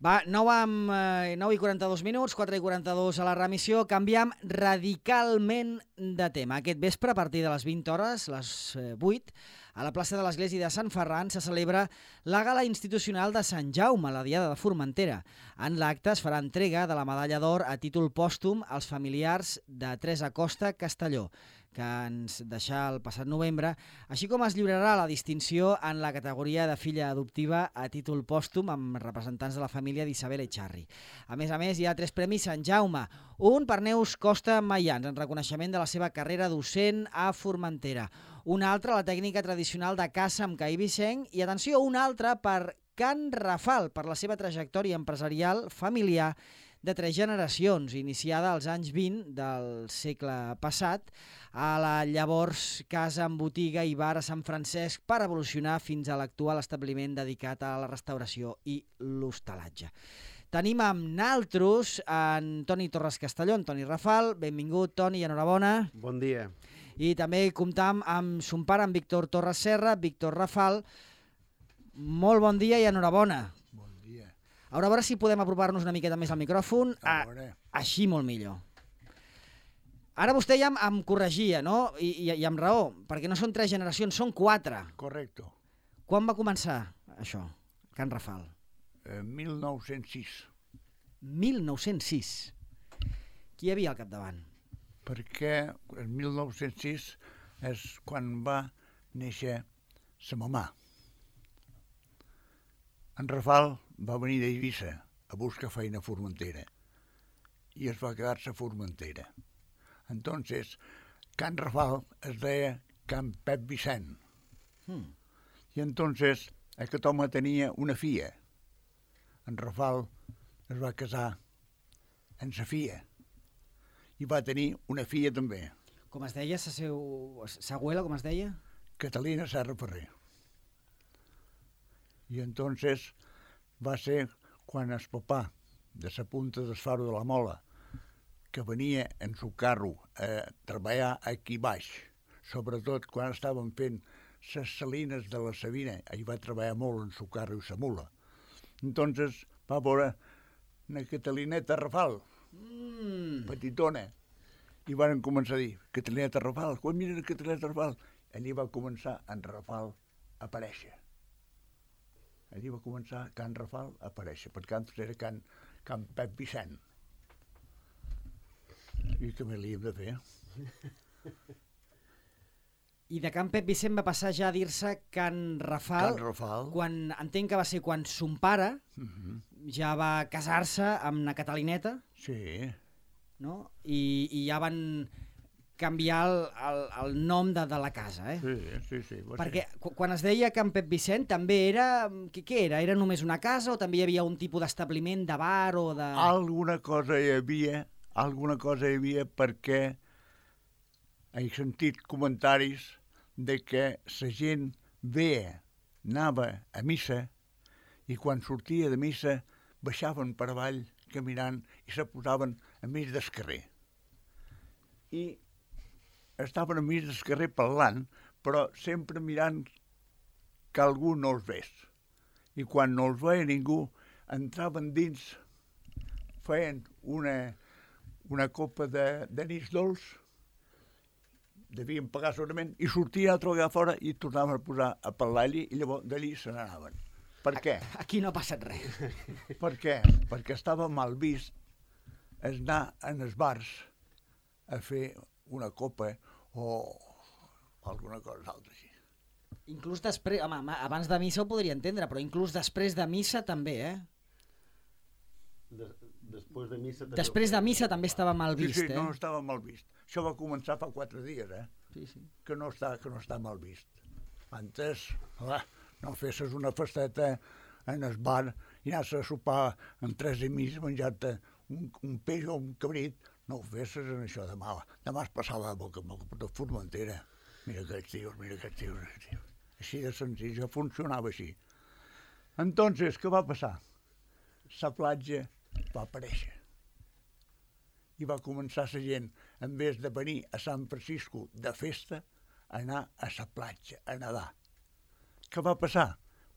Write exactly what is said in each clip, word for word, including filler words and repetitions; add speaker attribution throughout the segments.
Speaker 1: Va, nou, amb, eh, nou i quaranta-dos minuts, quatre i quaranta-dos a la remissió. Canviem radicalment de tema. Aquest vespre, a partir de les vint hores, les eh, vuit, a la plaça de l'Església de Sant Ferran se celebra la gala institucional de Sant Jaume, la Diada de Formentera. En l'acte es farà entrega de la medalla d'or a títol pòstum als familiars de Teresa Costa Castelló, que ens deixà el passat novembre, així com es lliurarà la distinció en la categoria de filla adoptiva a títol pòstum amb representants de la família d'Isabel Echarri. A més a més, hi ha tres premis Sant Jaume, un per Neus Costa Maians, en reconeixement de la seva carrera docent a Formentera, un altre la tècnica tradicional de caça amb caí vicenc i, atenció, un altre per Can Rafal, per la seva trajectòria empresarial familiar de tres generacions, iniciada als anys vint del segle passat, a la llavors casa amb botiga i bar a Sant Francesc, per evolucionar fins a l'actual establiment dedicat a la restauració i l'hostalatge. Tenim amb naltros en Toni Torres Castelló, en Toni Rafal. Benvingut, Toni, i enhorabona.
Speaker 2: Bon dia.
Speaker 1: I també comptam amb son pare, en Víctor Torres Serra, Víctor Rafal. Molt bon dia i enhorabona.
Speaker 3: Bon dia.
Speaker 1: A veure si podem apropar-nos una miqueta més al micròfon.
Speaker 3: A veure.
Speaker 1: Així molt millor. Ara vostè ja em, em corregia, no? I, i, I amb raó, perquè no són tres generacions, són quatre.
Speaker 3: Correcte.
Speaker 1: Quan va començar això, Can Rafal?
Speaker 3: Eh, mil nou-cents sis.
Speaker 1: mil nou-cents sis. Qui hi havia al capdavant?
Speaker 3: Perquè el mil nou-cents sis és quan va néixer sa mamà. En Rafal va venir d'Eivissa a buscar feina a Formentera i es va quedar-se a Formentera. Entonces, Can Rafal es deia Can Pep Vicent.
Speaker 1: Hmm.
Speaker 3: I entonces aquest home tenia una filla. En Rafal es va casar amb sa filla i va tenir una filla també.
Speaker 1: Com es deia, sa, seu... sa abuela, com es deia?
Speaker 3: Catalina Serra Ferrer. I entonces va ser quan el papà de sa punta del Faro de la Mola, que venia en su carro a treballar aquí baix, sobretot quan estaven fent les salines de la Sabina, ell va treballar molt en su carro i sa mula. Entonces va veure una Catalineta Rafal,
Speaker 1: Mm.
Speaker 3: petitona, i van començar a dir, Catalineta Rafal, quan mira la Catalineta Rafal? Allí va començar en Rafal a aparèixer. Allí va començar Can Rafal a aparèixer, perquè antes era Can, Can Pep Vicent. I què més li hem de fer?
Speaker 1: I de Can Pep Vicent va passar ja a dir-se Can Rafal,
Speaker 3: Can Rafal.
Speaker 1: quan entenc que va ser quan son pare
Speaker 3: Uh -huh.
Speaker 1: ja va casar-se amb una Catalineta,
Speaker 3: Sí,
Speaker 1: no? I, i ja van canviar el, el, el nom de, de la casa, eh?
Speaker 3: sí, sí. sí va
Speaker 1: Perquè
Speaker 3: ser.
Speaker 1: quan es deia Can Pep Vicent també era... Què, què era? Era només una casa o també hi havia un tipus d'establiment de bar o de...
Speaker 3: Alguna cosa hi havia, alguna cosa hi havia perquè he sentit comentaris de que la gent veia, anava a missa i quan sortia de missa baixaven per avall caminant i se posaven a mig del carrer. I estaven a mig del carrer parlant, però sempre mirant que algú no els ves. I quan no els veia ningú, entraven dins, feien una, una copa de, de nis dolç, devien pagar segurament, i sortien altra vegada fora i tornaven a posar a parlar allí i llavors d'allí se n'anaven. Per què?
Speaker 1: Aquí no ha passat res.
Speaker 3: Per què? Perquè estava mal vist anar en els bars a fer una copa o alguna cosa altra així.
Speaker 1: Inclús després... Home, abans de missa ho podria entendre, però inclús després de missa també, eh?
Speaker 2: De, després de missa... També
Speaker 1: Després de missa també estava mal vist,
Speaker 3: sí, sí,
Speaker 1: eh?
Speaker 3: no estava mal vist. Això va començar fa quatre dies, eh?
Speaker 1: Sí, sí.
Speaker 3: Que no està, que no està mal vist. Antes, clar, no fessis una festeta en el bar i anaves a sopar amb tres amics menjar-te un, un peix o un cabrit, no ho fessis en això demà. Demà es passava a boca, boca de Formentera. Mira aquests tios, mira aquests tios, aquests tios. Així de senzill, ja funcionava així. Entonces, què va passar? La platja va aparèixer. I va començar la gent, en vez de venir a Sant Francisco de festa, a anar a la platja, a nedar. Què va passar?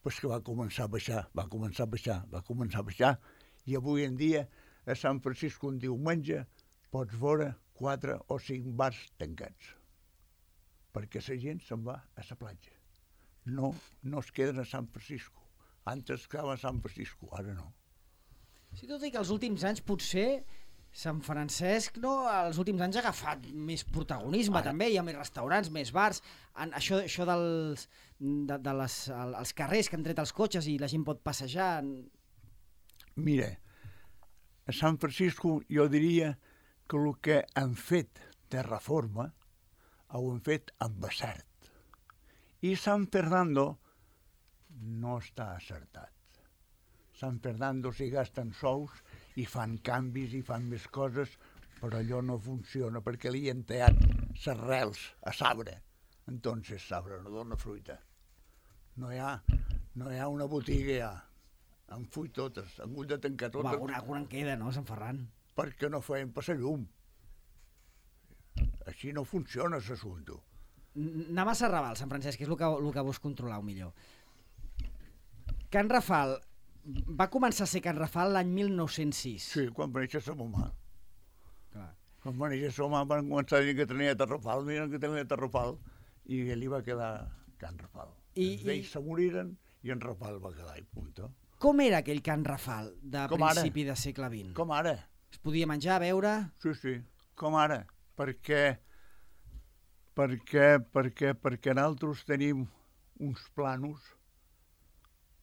Speaker 3: Pues que va començar a baixar, va començar a baixar, va començar a baixar, I avui en dia a Sant Francisco un diumenge pots veure quatre o cinc bars tancats. Perquè la gent se'n va a la platja. No, no es queden a Sant Francisco. Antes es quedaven a Sant Francisco, ara no.
Speaker 1: Sí, tot i que els últims anys potser Sant Francesc, no, els últims anys ha agafat més protagonisme, ara. També, hi ha més restaurants, més bars, en, això, això dels de, de les, el, els carrers que han tret els cotxes i la gent pot passejar...
Speaker 3: Mira, a Sant Francisco jo diria que el que han fet de reforma ho han fet amb acert. I Sant Fernando no està acertat. Sant Fernando s'hi gasten sous i fan canvis i fan més coses, però allò no funciona perquè li han tallat les arrels a sabre. Entonces sabre no dona fruita. No hi ha, no hi ha una botiga ja. Han fuit totes, han hagut de tancar totes.
Speaker 1: Home, alguna, alguna en queda, no, Sant Ferran?
Speaker 3: Perquè no feien passar llum. Així no funciona l'assumpte.
Speaker 1: Anem a Serraval, Sant Francesc, que és el que, el que vos controleu millor. Can Rafal, va començar a ser Can Rafal l'any mil nou-cents sis.
Speaker 3: Sí, quan va néixer sa mamà.
Speaker 1: Clar.
Speaker 3: Quan va néixer sa mamà van començar a dir que tenia Tarrafal, miren que tenia Tarrafal, i li va quedar Can Rafal. I, els vells se moriren i en Rafal va quedar, i punto.
Speaker 1: Com era aquell Can Rafal de com principi ara? De segle vint?
Speaker 3: Com ara.
Speaker 1: Es podia menjar, beure?
Speaker 3: Sí, sí, com ara. Perquè, perquè, perquè, perquè nosaltres tenim uns planos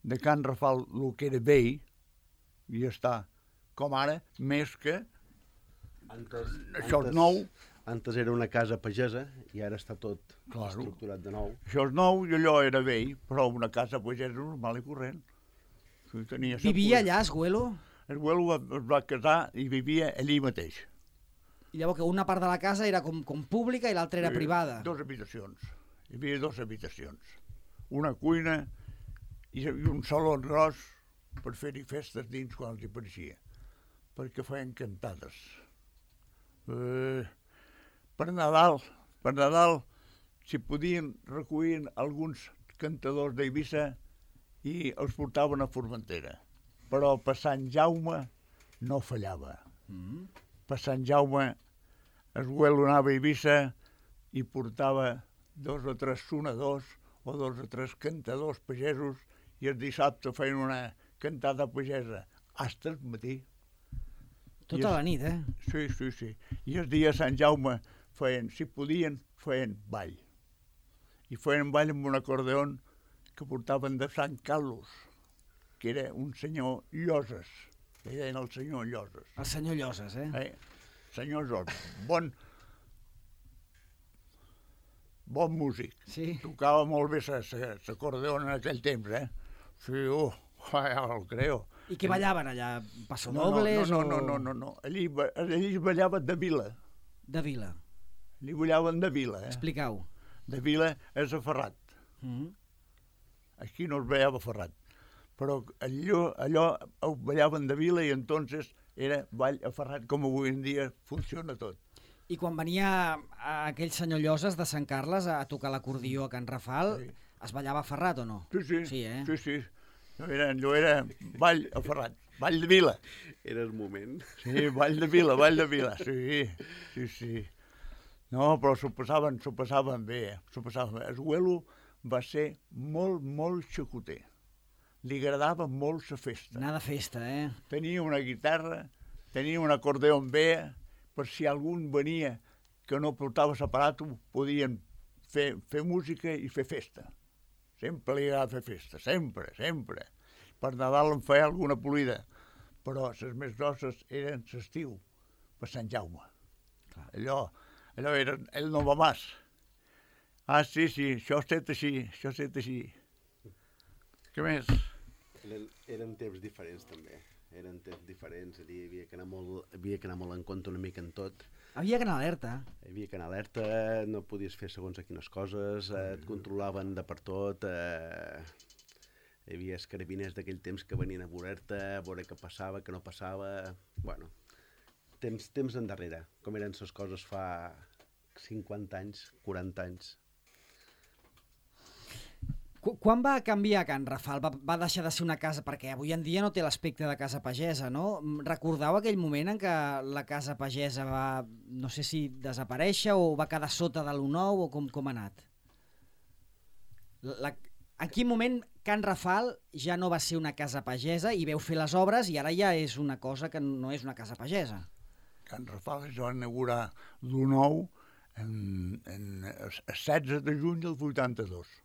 Speaker 3: de Can Rafal, el que era vell, i ja està. Com ara, més que
Speaker 2: antes,
Speaker 3: això
Speaker 2: antes,
Speaker 3: és nou.
Speaker 2: Antes era una casa pagesa i ara està tot
Speaker 3: claro.
Speaker 2: Estructurat de nou.
Speaker 3: Això és nou i allò era vell, però una casa pagesa normal i corrent. Tenia
Speaker 1: vivia allà, Esguelo?
Speaker 3: Esguelo es va casar i vivia allí mateix.
Speaker 1: I llavors que una part de la casa era com, com pública i l'altra era
Speaker 3: sí,
Speaker 1: privada?
Speaker 3: Dos habitacions. Hi havia dues habitacions. Una cuina i un saló gros per fer-hi festes dins quan els hi pareixia. Perquè feien cantades. Eh, per Nadal, per Nadal, si podien, recollien alguns cantadors d'Eivissa i els portaven a Formentera. Però per Sant Jaume no fallava. Mm. Per Sant Jaume Esguelo anava a Eivissa i portava dos o tres sonadors o dos o tres cantadors pagesos i el dissabte feien una cantada pagesa fins al matí.
Speaker 1: Tota es... la nit, eh?
Speaker 3: Sí, sí, sí. I el dia de Sant Jaume feien, si podien, feien ball. I feien ball amb un acordeon que portaven de Sant Carlos, que era un senyor Lloses, que deien el senyor Lloses.
Speaker 1: El senyor Lloses, eh?
Speaker 3: eh? Senyor Lloses, bon, bon músic.
Speaker 1: Sí.
Speaker 3: Tocava molt bé l'acordeó en aquell temps, eh? Sí, oh, ja el creo.
Speaker 1: I què ballaven allà?
Speaker 3: No,
Speaker 1: Passodobles?
Speaker 3: no, no, no, no, no, no. Allí, allí ballaven de vila.
Speaker 1: De vila?
Speaker 3: Allí ballaven de vila, eh?
Speaker 1: Expliqueu.
Speaker 3: De vila és a Ferrat. Mm -hmm. Aquí no es ballava Ferrat, però allò, allò ho ballaven de vila i entonces era ball a Ferrat, com avui en dia funciona tot.
Speaker 1: I quan venia aquell senyor Lloses de Sant Carles a tocar l'acordió a Can Rafal, sí. Es ballava a Ferrat o no?
Speaker 3: Sí, sí,
Speaker 1: sí, eh?
Speaker 3: sí, sí. No era, allò era ball a Ferrat, ball de vila.
Speaker 2: Era el moment.
Speaker 3: Sí, ball de vila, ball de vila, sí, sí, sí. No, però s'ho passaven, s'ho passaven bé, eh? S'ho passaven bé. Esguelo va ser molt, molt xacoter. Li agradava molt la festa.
Speaker 1: Anar de festa, eh?
Speaker 3: Tenia una guitarra, tenia un acordeó amb bé, per si algun venia que no portava l'aparato, podien fer, fer música i fer festa. Sempre li agradava fer festa, sempre, sempre. Per Nadal en feia alguna polida, però les més grosses eren l'estiu, per Sant Jaume. Clar. Allò, allò era el Novamàs. Ah, sí, sí, això ha estat així, això ha estat així. Què més?
Speaker 2: Eren, eren temps diferents, també. Eren temps diferents, hi havia que anar molt, havia que anar molt en compte una mica en tot.
Speaker 1: Havia que anar alerta.
Speaker 2: Hi havia que anar alerta, no podies fer segons a quines coses, eh, et controlaven de per tot. Eh, hi havia els carabiners d'aquell temps que venien a veure-te, a veure què passava, què no passava. Bueno, temps, temps endarrere, com eren les coses fa cinquanta anys, quaranta anys.
Speaker 1: Qu Quan va canviar Can Rafal? Va, va deixar de ser una casa, perquè avui en dia no té l'aspecte de casa pagesa, no? Recordeu aquell moment en què la casa pagesa va, no sé si desaparèixer o va quedar sota de l'U nou o com, com ha anat? La, en quin moment Can Rafal ja no va ser una casa pagesa i veu fer les obres i ara ja és una cosa que no és una casa pagesa?
Speaker 3: Can Rafal es va inaugurar l'U nou en, en el setze de juny del vuitanta-dos.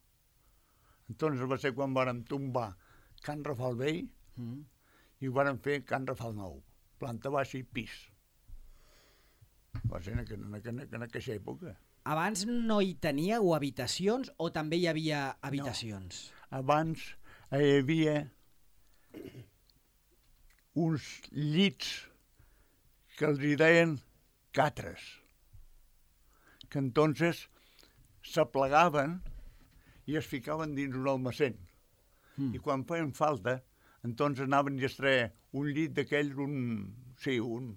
Speaker 3: Entonces va ser quan vàrem tombar Can Rafal vell mm. i ho vàrem fer Can Rafal nou, planta baixa i pis. Va ser en, en, en, en aquella època.
Speaker 1: Abans no hi teníeu habitacions o també hi havia habitacions?
Speaker 3: No. Abans hi havia uns llits que els hi deien catres, que entonces s'aplegaven i es ficaven dins un almacén. Mm. I quan feien falta, entonces anaven i es treia un llit d'aquells, un, sí, un,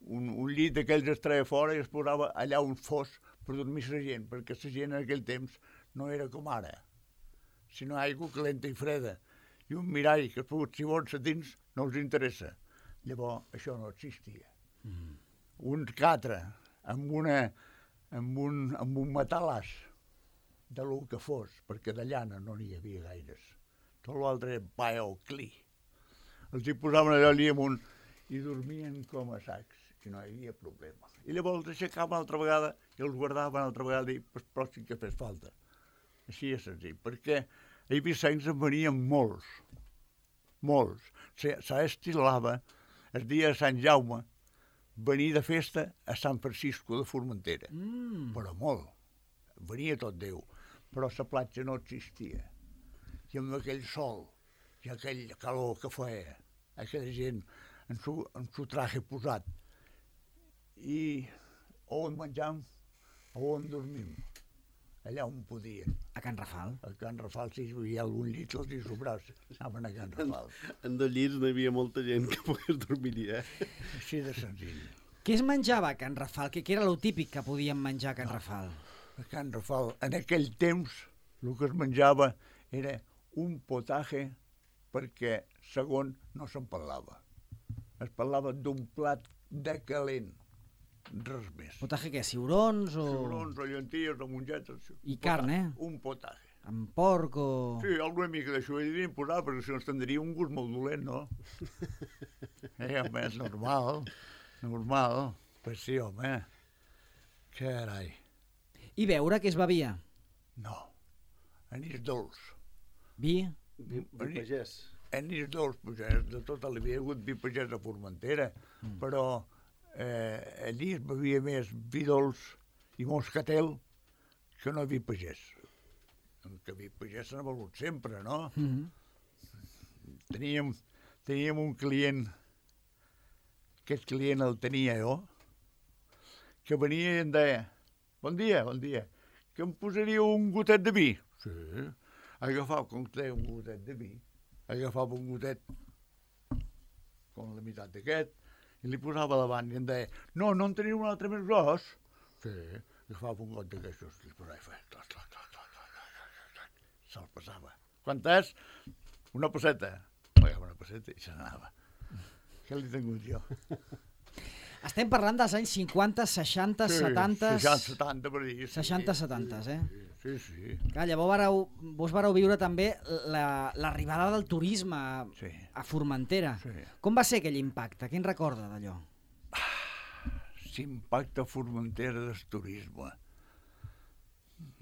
Speaker 3: un, un llit d'aquells es treia fora i es posava allà un fos per dormir la gent, perquè la gent en aquell temps no era com ara, sinó aigua calenta i freda. I un mirall que es pogut, si vols, a dins no els interessa. Llavors, això no existia. Mm. Un catre amb, una, amb, un, amb un matalàs de lo que fos, perquè de llana no n'hi havia gaires. Tot l'altre era paia o cli. Els hi posaven allò allà amunt i dormien com a sacs, i no hi havia problema. I llavors els aixecaven altra vegada i els guardaven altra vegada i per pròxim que fes falta. Així és senzill, perquè a Eivissencs en venien molts, molts. S'estilava el dia de Sant Jaume venir de festa a Sant Francisco de Formentera, mm. però molt. Venia tot Déu, però la platja no existia. I amb aquell sol i aquell calor que feia, aquella gent amb su, amb su traje posat. I on menjam, on dormim, allà on podien.
Speaker 1: A Can Rafal?
Speaker 3: A Can Rafal, si hi havia algun llit, els hi sobrava, anaven a Can Rafal.
Speaker 2: En, en dos llits no hi havia molta gent que pogués dormir, eh?
Speaker 3: Així de senzill.
Speaker 1: Què es menjava a Can Rafal? Què, què era lo típic que podien menjar a Can no. Rafal?
Speaker 3: A Can Rafal, en aquell temps, el que es menjava era un potaje perquè, segon, no se'n parlava. Es parlava d'un plat de calent, res més.
Speaker 1: Potaje què? Ciurons o...?
Speaker 3: Ciurons o llenties o mongetes.
Speaker 1: I carn, eh?
Speaker 3: Un potaje.
Speaker 1: Amb porc o...?
Speaker 3: Sí, alguna mica d'això hi devien posar, perquè si no es tindria un gust molt dolent, no? eh, home, és normal, normal. Pues sí, home. Carai.
Speaker 1: I beure, què es bevia?
Speaker 3: No, anís dolç.
Speaker 1: Vi?
Speaker 2: Vi, vi pagès.
Speaker 3: Anís dolç, pagès, de tot el havia hagut vi pagès a Formentera, mm. però eh, allí es bevia més vi dolç i moscatel que no vi pagès. Que vi pagès s'ha begut sempre, no? Mm -hmm. Teníem, teníem un client, aquest client el tenia jo, que venia i em deia: bon dia, bon dia, que em posaria un gotet de vi? Sí. Agafava, com que té un gotet de vi, agafava un gotet com la meitat d'aquest i li posava davant i em deia: no, no en teniu un altre més gros? Sí. Agafava un got d'aquestos i li posava i feia... Se'l passava. Quant és? Una passeta. Pagava una passeta i se n'anava. Què li he tingut jo?
Speaker 1: Estem parlant dels anys cinquanta, seixanta, sí, setanta...
Speaker 3: seixanta, setanta, per dir.
Speaker 1: seixanta, setanta, eh?
Speaker 3: Sí, sí.
Speaker 1: Clar, llavors vareu, vos vareu viure també l'arribada la, del turisme a, sí. a Formentera. Sí. Com va ser aquell impacte? Què en recorda d'allò?
Speaker 3: Ah, l'impacte a Formentera del turisme.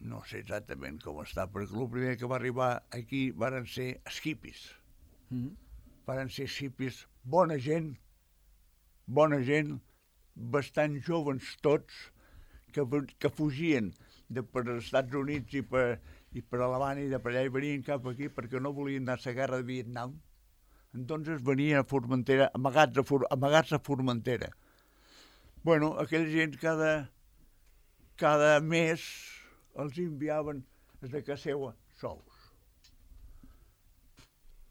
Speaker 3: No sé exactament com està, perquè el primer que va arribar aquí varen ser els hippies. Mm -hmm. Varen ser hippies, bona gent, bona gent, bastant joves tots, que, que fugien de per als Estats Units i per, i per Alemanya i de per allà i venien cap aquí perquè no volien anar a la guerra de Vietnam. Entonces venien a Formentera, amagats a, For, amagats a Formentera. Bueno, aquella gent cada, cada mes els enviaven des de casa seva sous.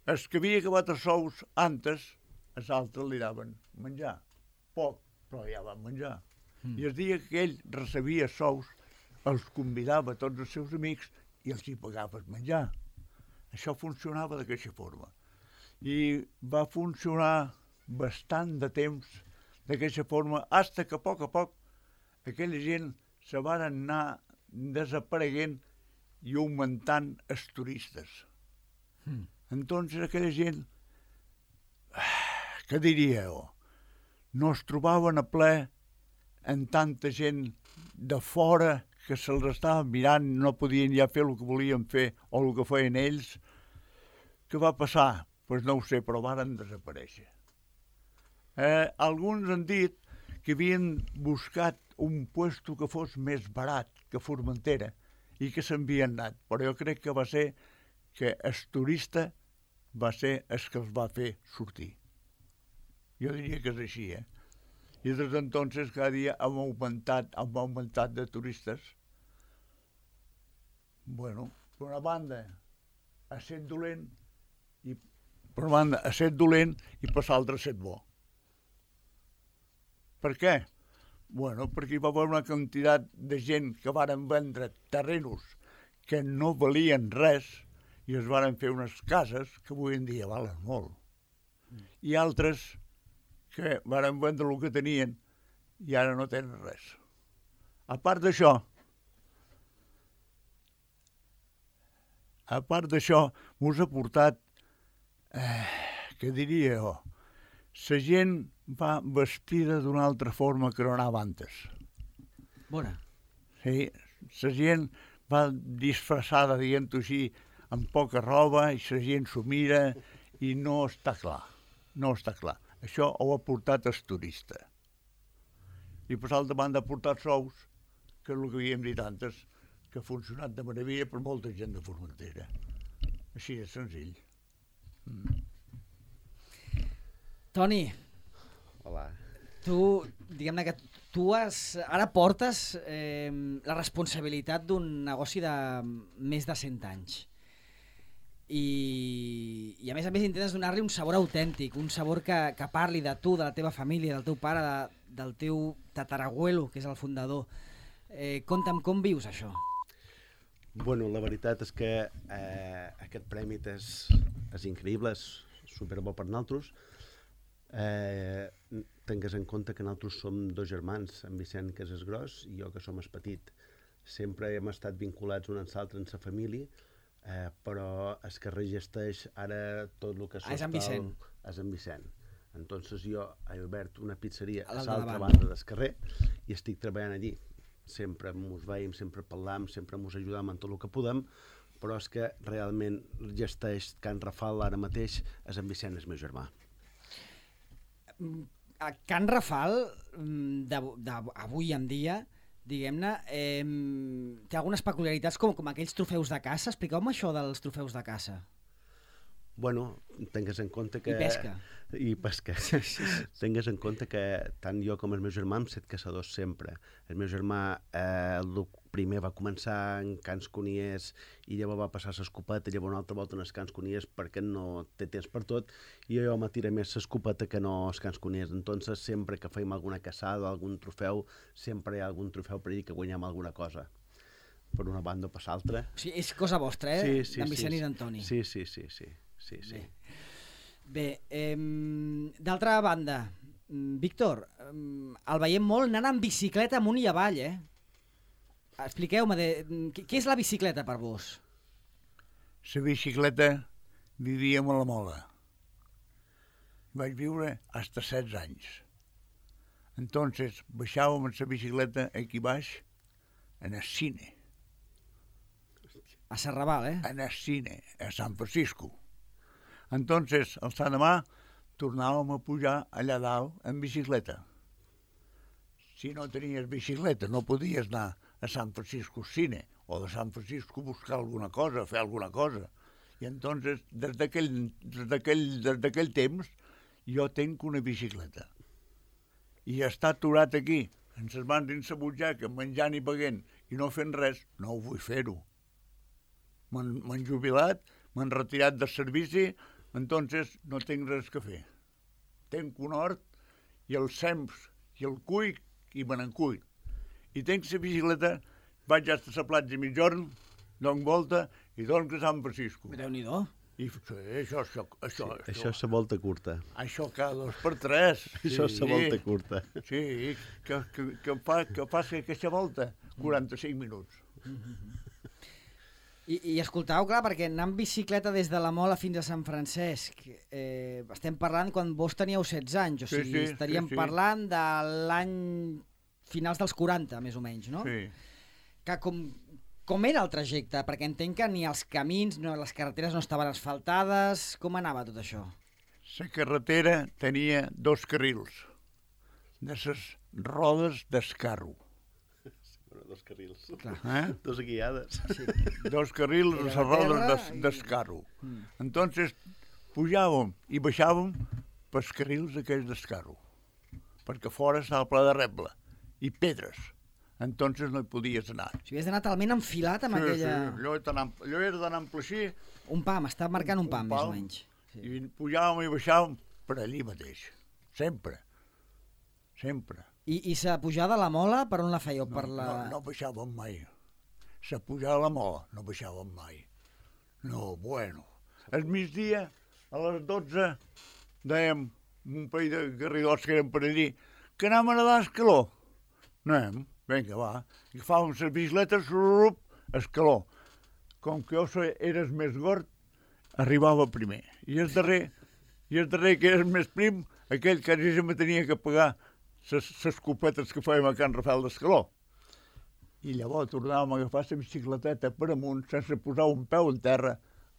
Speaker 3: Els que havia acabat els sous antes, els altres li daven menjar. Poc, però ja van menjar. Mm. I el dia que ell recebia sous, els convidava a tots els seus amics i els hi pagava el menjar. Això funcionava d'aquesta forma. I va funcionar bastant de temps d'aquesta forma, fins que a poc a poc aquella gent se van anar desapareguent i augmentant els turistes. Mm. Entonces aquella gent, què diríeu, no es trobaven a ple en tanta gent de fora que se'ls estava mirant, no podien ja fer el que volien fer o el que feien ells. Què va passar? Doncs pues no ho sé, però varen desaparèixer. Eh, alguns han dit que havien buscat un puesto que fos més barat que Formentera i que s'havien anat, però jo crec que va ser que el turista va ser el que els va fer sortir. Jo diria que és així, eh? I des d'entonces cada dia hem augmentat, hem augmentat de turistes. Bueno, per una banda, a ser dolent, i per una banda, a ser dolent i per l'altra a ser bo. Per què? Bueno, perquè hi va haver una quantitat de gent que varen vendre terrenos que no valien res i es varen fer unes cases que avui en dia valen molt. I altres que varen vendre el que tenien i ara no tenen res. A part d'això, a part d'això, m'us ha portat, eh, què diria jo, la gent va vestida d'una altra forma que no anava antes.
Speaker 1: Bona.
Speaker 3: Sí, la gent va disfressada, diguem-ho així, amb poca roba, i la gent s'ho mira i no està clar, no està clar. Això ho ha portat el turista. I per l'altra banda ha portat sous, que és el que havíem dit antes, que ha funcionat de meravella per molta gent de Formentera. Així és senzill. Mm.
Speaker 1: Toni.
Speaker 2: Hola.
Speaker 1: Tu, diguem-ne que tu has, ara portes eh, la responsabilitat d'un negoci de més de cent anys. I, i a més a més intentes donar-li un sabor autèntic, un sabor que, que parli de tu, de la teva família, del teu pare, de, del teu tatarabuelo, que és el fundador. Eh, conta'm com vius això.
Speaker 2: Bueno, la veritat és que eh, aquest premi és, és increïble, és superbo per nosaltres. Eh, tingues en compte que nosaltres som dos germans, en Vicent, que és el gros, i jo, que som el petit. Sempre hem estat vinculats un amb l'altre en la família, Eh, però es que registeix ara tot el que...
Speaker 1: Ah, és en Vicent.
Speaker 2: És en Vicent. Entonces jo he obert una pizzeria a,
Speaker 1: a
Speaker 2: l'altra banda del carrer i estic treballant allí. Sempre mos veiem, sempre parlam, sempre mos ajudam en tot el que podem, però és que realment gesteix Can Rafal ara mateix és en Vicent, el meu germà.
Speaker 1: A Can Rafal, d'avui en dia, diguem-ne, eh, té algunes peculiaritats com, com aquells trofeus de caça. Expliqueu-me això dels trofeus de caça.
Speaker 2: Bueno, tingues en compte que...
Speaker 1: I pesca.
Speaker 2: I pesca. Tingues en compte que tant jo com el meu germà hem set caçadors sempre. El meu germà eh, el primer va començar en Cans Coniers i llavors va passar l'escopeta, llavors una altra volta en els Cans Coniers perquè no té temps per tot, i jo m'atira més l'escopeta que no els Cans Coniers. Entonces, sempre que feim alguna caçada o algun trofeu, sempre hi ha algun trofeu per dir que guanyem alguna cosa. Per una banda o per l'altra.
Speaker 1: O sigui, és cosa vostra, eh?
Speaker 2: Sí, sí,
Speaker 1: d'en Vicent
Speaker 2: sí,
Speaker 1: i d'Antoni.
Speaker 2: Sí, sí, sí, sí. Sí, sí.
Speaker 1: Bé, Bé eh, d'altra banda, Víctor, eh, el veiem molt anant amb bicicleta amunt i avall, eh? Expliqueu-me, de, què és la bicicleta per vos?
Speaker 3: La bicicleta vivíem a la Mola. Vaig viure fins a setze anys. Entonces baixàvem amb la bicicleta aquí baix en el cine.
Speaker 1: A Serraval, eh?
Speaker 3: En el cine, a San Francisco. Entonces, el Sant demà, tornàvem a pujar allà dalt en bicicleta. Si no tenies bicicleta, no podies anar a San Francisco Cine o de San Francisco buscar alguna cosa, fer alguna cosa. I entonces, des d'aquell des d'aquell des d'aquell temps, jo tenc una bicicleta. I està aturat aquí, en ses mans dins la butxaca, menjant i pagant i no fent res, no ho vull fer-ho. M'han jubilat, m'han retirat del servici, entonces no tinc res que fer. Tenc un hort i el sems i el cull i me n'encull. I tenc la bicicleta, vaig a la platja mitjorn, dono volta i doncs que Sant Francisco.
Speaker 1: Déu-n'hi-do.
Speaker 3: I sí, això, això, això,
Speaker 2: Sí, això és la volta curta.
Speaker 3: això cada dos per tres.
Speaker 2: Això és la volta curta.
Speaker 3: Sí, que, que, que, fa, que faci aquesta volta quaranta-cinc minuts.
Speaker 1: I, I escoltau, clar, perquè anar amb bicicleta des de la Mola fins a Sant Francesc, eh, estem parlant quan vos teníeu setze anys, o
Speaker 3: Sí,
Speaker 1: sigui,
Speaker 3: sí,
Speaker 1: estaríem
Speaker 3: sí, sí.
Speaker 1: parlant de l'any finals dels quaranta, més o menys, no?
Speaker 3: Sí.
Speaker 1: Que com, com era el trajecte? Perquè entenc que ni els camins, no, les carreteres no estaven asfaltades, com anava tot això?
Speaker 3: La carretera tenia dos carrils de les rodes d'escarro.
Speaker 2: Bueno, dos carrils.
Speaker 1: Clar.
Speaker 3: Eh?
Speaker 2: Dos guiades.
Speaker 1: Sí.
Speaker 3: Dos carrils de
Speaker 1: Era
Speaker 3: les
Speaker 1: la
Speaker 3: rodes
Speaker 1: terra
Speaker 3: d'es-
Speaker 1: i-
Speaker 3: d'escarro.
Speaker 1: Mm.
Speaker 3: Entonces pujàvem i baixàvem pels carrils aquells d'escarro, perquè fora estava ple de reble i pedres. Entonces no hi podies anar.
Speaker 1: O sigui, has d'anar talment enfilat amb
Speaker 3: Sí,
Speaker 1: aquella...
Speaker 3: sí, allò, era d'anar- allò era d'anar en així,
Speaker 1: Un pam, està marcant un
Speaker 3: Un
Speaker 1: pam, més o
Speaker 3: pam.
Speaker 1: menys. Sí.
Speaker 3: i pujàvem i baixàvem per allí mateix. Sempre. Sempre.
Speaker 1: I, i sa pujada a la Mola, per on la fèieu?
Speaker 3: No,
Speaker 1: Per la...
Speaker 3: no, no baixàvem mai. Se pujava a la mola, no baixàvem mai. No, bueno. Al migdia, a les dotze, dèiem, un parell de garridots que eren per allí, que anàvem a nedar a escaló. Anem, vinga, va. I agafàvem les bicicletes, rup, escaló. Com que jo so- eres més gord, arribava primer. I el darrer, i el darrer que eres més prim, aquell que quasi me tenia que pagar les copetes que fèiem a Can Rafael d'Escaló. I llavors tornàvem a agafar la bicicleteta per amunt sense posar un peu en terra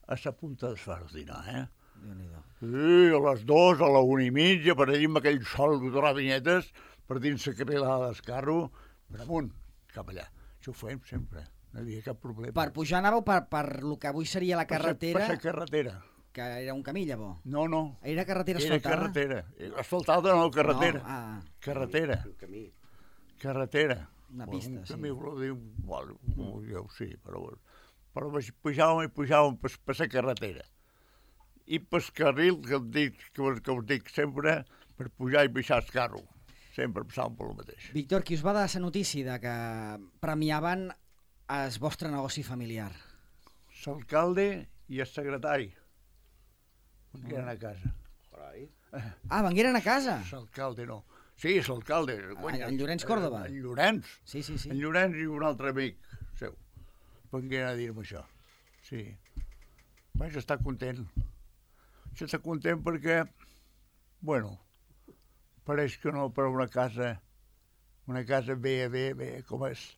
Speaker 3: a la punta d'esfardinar, eh?
Speaker 1: Déu-n'hi-do.
Speaker 3: Sí, a les dues, a la una i mitja, per allà amb aquell sol de vinyetes, per dins la carrilada d'escarro, per amunt, cap allà. Això ho fèiem sempre, no hi havia cap problema.
Speaker 1: Per pujar anàveu per, per el que avui seria la
Speaker 3: Per sa-
Speaker 1: carretera,
Speaker 3: Per la carretera.
Speaker 1: que era un camí, llavors.
Speaker 3: No, no.
Speaker 1: Era carretera
Speaker 3: Era
Speaker 1: asfaltada?
Speaker 3: carretera. Asfaltada no, carretera.
Speaker 1: No, ah,
Speaker 3: Carretera.
Speaker 2: Un camí.
Speaker 3: Carretera.
Speaker 1: Una
Speaker 3: Bueno,
Speaker 1: pista,
Speaker 3: un
Speaker 1: sí.
Speaker 3: camí, vol dir, bueno, jo sí, però, però baix- pujàvem i pujàvem per, per la carretera. I pel carril, que, em dic, que, us, que us dic sempre, per pujar i baixar el carro. Sempre passàvem per el mateix.
Speaker 1: Víctor, qui us va dar la notícia de que premiaven el vostre negoci familiar?
Speaker 3: L'alcalde i el secretari. Que eren a casa.
Speaker 2: Carai.
Speaker 1: Ah, vengueren a casa?
Speaker 3: L'alcalde no. Sí, l'alcalde.
Speaker 1: En- en Llorenç Córdoba?
Speaker 3: En Llorenç.
Speaker 1: Sí, sí, sí.
Speaker 3: En Llorenç i un altre amic seu. Vengueren a dir-me això. Sí. Vaig estar content. Vaig estar content perquè, bueno, pareix que no, però una casa, una casa bé, bé, bé, com és.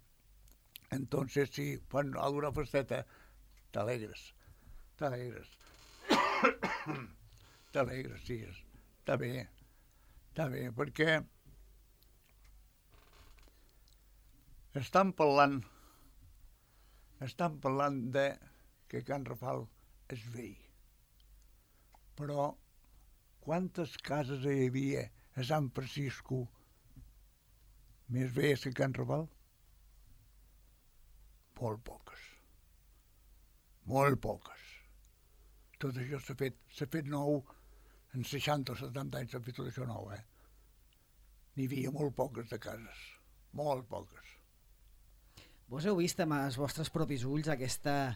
Speaker 3: Entonces, sí, fan alguna festeta, t'alegres, t'alegres. T'alegres, sí, està bé, està bé, perquè estan parlant, estan parlant de que Can Rafal és vell. Però quantes cases hi havia a Sant Francisco més velles que Can Rafal? Molt poques. Molt poques. Tot això s'ha fet, s'ha fet nou, en seixanta o setanta anys s'ha fet tot això nou, eh? N'hi havia molt poques de cases, molt poques.
Speaker 1: Vos heu vist amb els vostres propis ulls aquesta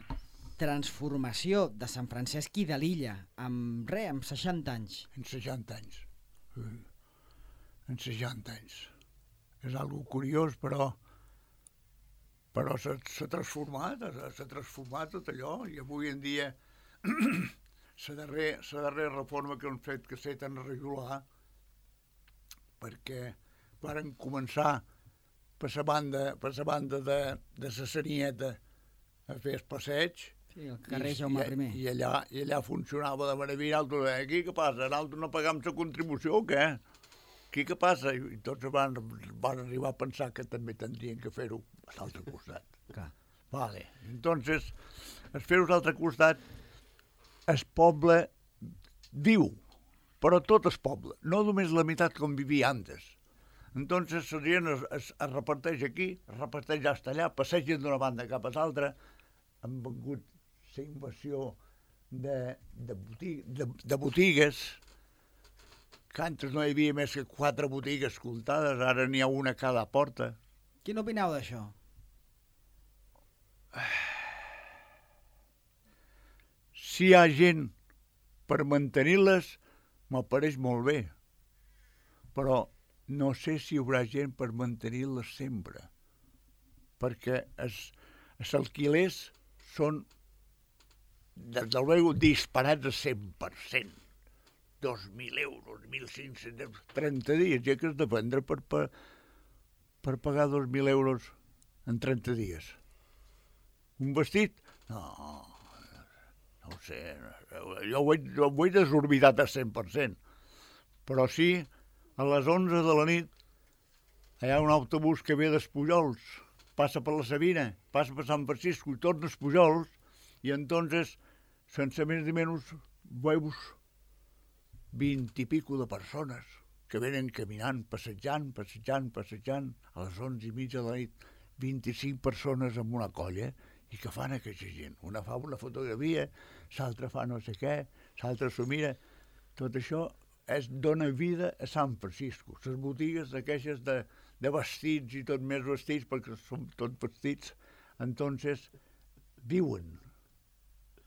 Speaker 1: transformació de Sant Francesc i de l'illa, amb res, amb seixanta anys.
Speaker 3: En seixanta anys. Sí. En seixanta anys. És algo curiós, però però s'ha s'ha transformat, s'ha s'ha transformat tot allò, i avui en dia la darrera, la darrera reforma que han fet que s'ha tan regular, perquè varen començar per la banda, per la banda de, de la Sanieta a fer el passeig,
Speaker 1: Sí, el carrer Jaume primer.
Speaker 3: i, i, allà, i allà funcionava de meravella. Nosaltres, eh, aquí què passa? Nosaltres no pagam la contribució o què? Aquí què passa? I, i tots van, van arribar a pensar que també tindrien que fer-ho a l'altre costat.
Speaker 1: Clar.
Speaker 3: Vale. Entonces, el fer-ho a l'altre costat, el poble viu, però tot el poble, no només la meitat com vivia antes. Entonces, la gent es, es, es reparteix aquí, es reparteix hasta allà, passegen d'una banda cap a l'altra, han vengut la invasió de, de, botig, de, de botigues, que antes no hi havia més que quatre botigues comptades, ara n'hi ha una a cada porta.
Speaker 1: Quin opineu d'això?
Speaker 3: si hi ha gent per mantenir-les, m'apareix molt bé. Però no sé si hi haurà gent per mantenir-les sempre. Perquè els, els alquilers són, des del meu, disparats a cent per cent. dos mil euros, mil cinc-cents euros, trenta dies, ja que has de prendre per, per, per pagar dos mil euros en trenta dies. Un vestit? No, no ho sé, jo ho veig, jo ho veig desorbitat a cent per cent. Però sí, a les onze de la nit hi ha un autobús que ve d'Espujols, passa per la Sabina, passa per Sant Francisco i torna a Espujols, i entonces, sense més ni menys, veus vint i pico de persones que venen caminant, passejant, passejant, passejant, a les onze i mitja de la nit, vint-i-cinc persones amb una colla, i que fan aquesta gent? Una fa una fotografia, l'altra fa no sé què, l'altra s'ho mira. Tot això és, dona vida a Sant Francisco. Les botigues aquelles de, de vestits i tot més vestits, perquè són tots vestits, entonces viuen.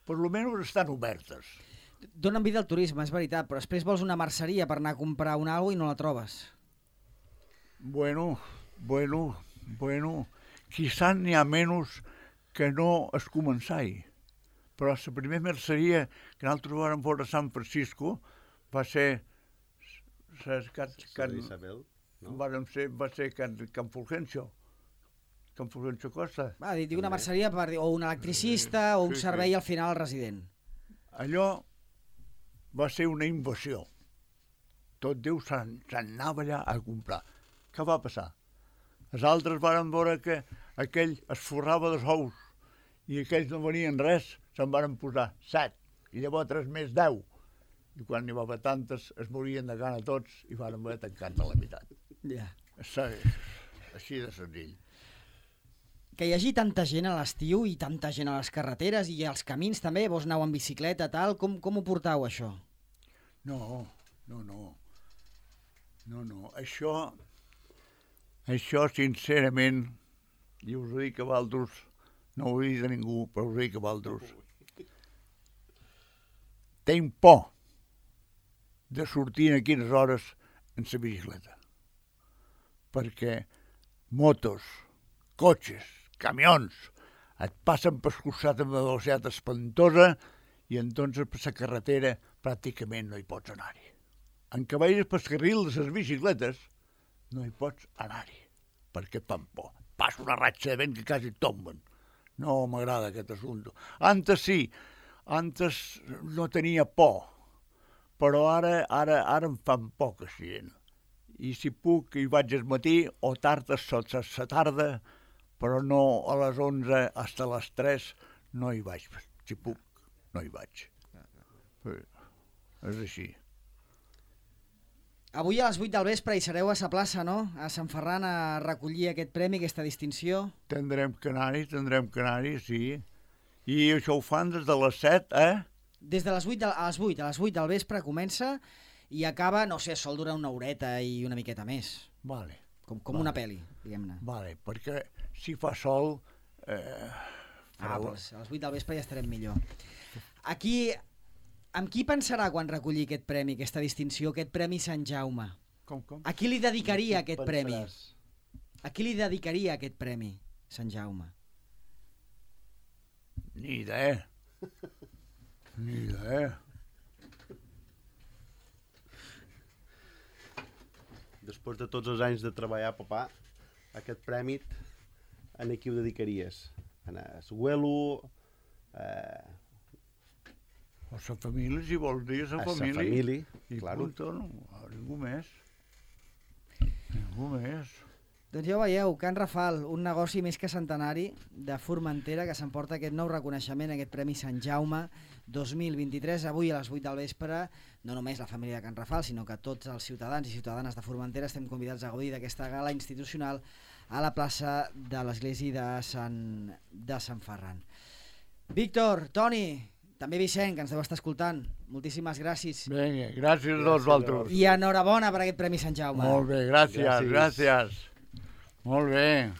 Speaker 3: Per lo menys estan obertes.
Speaker 1: Donen vida al turisme, és veritat, però després vols una merceria per anar a comprar una cosa i no la trobes.
Speaker 3: Bueno, bueno, bueno, quizá n'hi ha menys que no es començai. Però la primera merceria que nosaltres vam veure a San Francisco va ser... Can, can,
Speaker 2: Isabel, no?
Speaker 3: Va ser, va ser Can, Can Fulgencio. Can Fulgencio Costa.
Speaker 1: Va, dic una merceria per dir, o un electricista o un
Speaker 3: Sí,
Speaker 1: servei
Speaker 3: sí.
Speaker 1: al final al resident.
Speaker 3: Allò va ser una invasió. Tot Déu se'n anava allà a comprar. Què va passar? Els altres varen veure que aquell es forrava dels ous i aquells no venien res, se'n varen posar set, i llavors tres més deu. I quan n'hi va haver tantes, es morien de gana tots i varen haver tancat a la meitat.
Speaker 1: Ja.
Speaker 3: Així de senzill.
Speaker 1: Que hi hagi tanta gent a l'estiu i tanta gent a les carreteres i als camins també, vos aneu en bicicleta, tal, com, com ho portau, això?
Speaker 3: No, no, no. No, no. Això, això sincerament, i us ho dic a vosaltres, no ho dic a ningú, però us ho dic a vosaltres. Tinc por de sortir en quines hores en la bicicleta. Perquè motos, cotxes, camions, et passen per costat amb una velocitat espantosa i entonces per la carretera pràcticament no hi pots anar-hi. En què vagis pel carril de les bicicletes no hi pots anar-hi, perquè et fan por. Passa una ratxa de vent que quasi et tomben. No m'agrada aquest assumpte. Antes sí, antes no tenia por, però ara, ara, ara em fan por que siguin. I si puc, hi vaig al matí o tard a la tarda, però no a les onze fins a les tres no hi vaig. Si puc, no hi vaig. És així.
Speaker 1: Avui a les vuit del vespre hi sereu a la plaça, no? A Sant Ferran a recollir aquest premi, aquesta distinció.
Speaker 3: Tindrem que anar-hi, tindrem que anar-hi, sí. I això ho fan des de les set, eh?
Speaker 1: Des de les vuit a les vuit, a les vuit del vespre comença i acaba, no sé, sol durar una horeta i una miqueta més.
Speaker 3: Vale.
Speaker 1: Com, com
Speaker 3: vale.
Speaker 1: una pel·li, diguem-ne.
Speaker 3: Vale, perquè si fa sol... Eh,
Speaker 1: ah, doncs a les vuit del vespre ja estarem millor. Aquí, amb qui pensarà quan recollir aquest premi, aquesta distinció, aquest Premi Sant Jaume?
Speaker 3: Com, com?
Speaker 1: A qui li dedicaria aquest premi?
Speaker 2: Pensaràs.
Speaker 1: A qui li dedicaria aquest premi, Sant Jaume?
Speaker 3: Ni idea. Ni idea.
Speaker 2: Després de tots els anys de treballar, papà, aquest premi, a qui ho dedicaries? A l'abuelo? Eh...
Speaker 3: A la família, si vols dir, a la
Speaker 2: A sa
Speaker 3: família.
Speaker 2: família,
Speaker 3: I
Speaker 2: claro.
Speaker 3: punto, no, a ningú més. Ningú més.
Speaker 1: Doncs ja ho veieu, Can Rafal, un negoci més que centenari de Formentera que s'emporta aquest nou reconeixement, aquest Premi Sant Jaume dos mil vint-i-tres, avui a les vuit del vespre. No només la família de Can Rafal, sinó que tots els ciutadans i ciutadanes de Formentera estem convidats a gaudir d'aquesta gala institucional a la plaça de l'Església de Sant, de Sant Ferran. Víctor, Toni, també Vicent, que ens deu estar escoltant, moltíssimes gràcies.
Speaker 3: Vinga, gràcies a tots vosaltres.
Speaker 1: I enhorabona per aquest Premi Sant Jaume.
Speaker 3: Molt bé, gràcies,
Speaker 2: Gràcies.
Speaker 3: gràcies. Molt bé.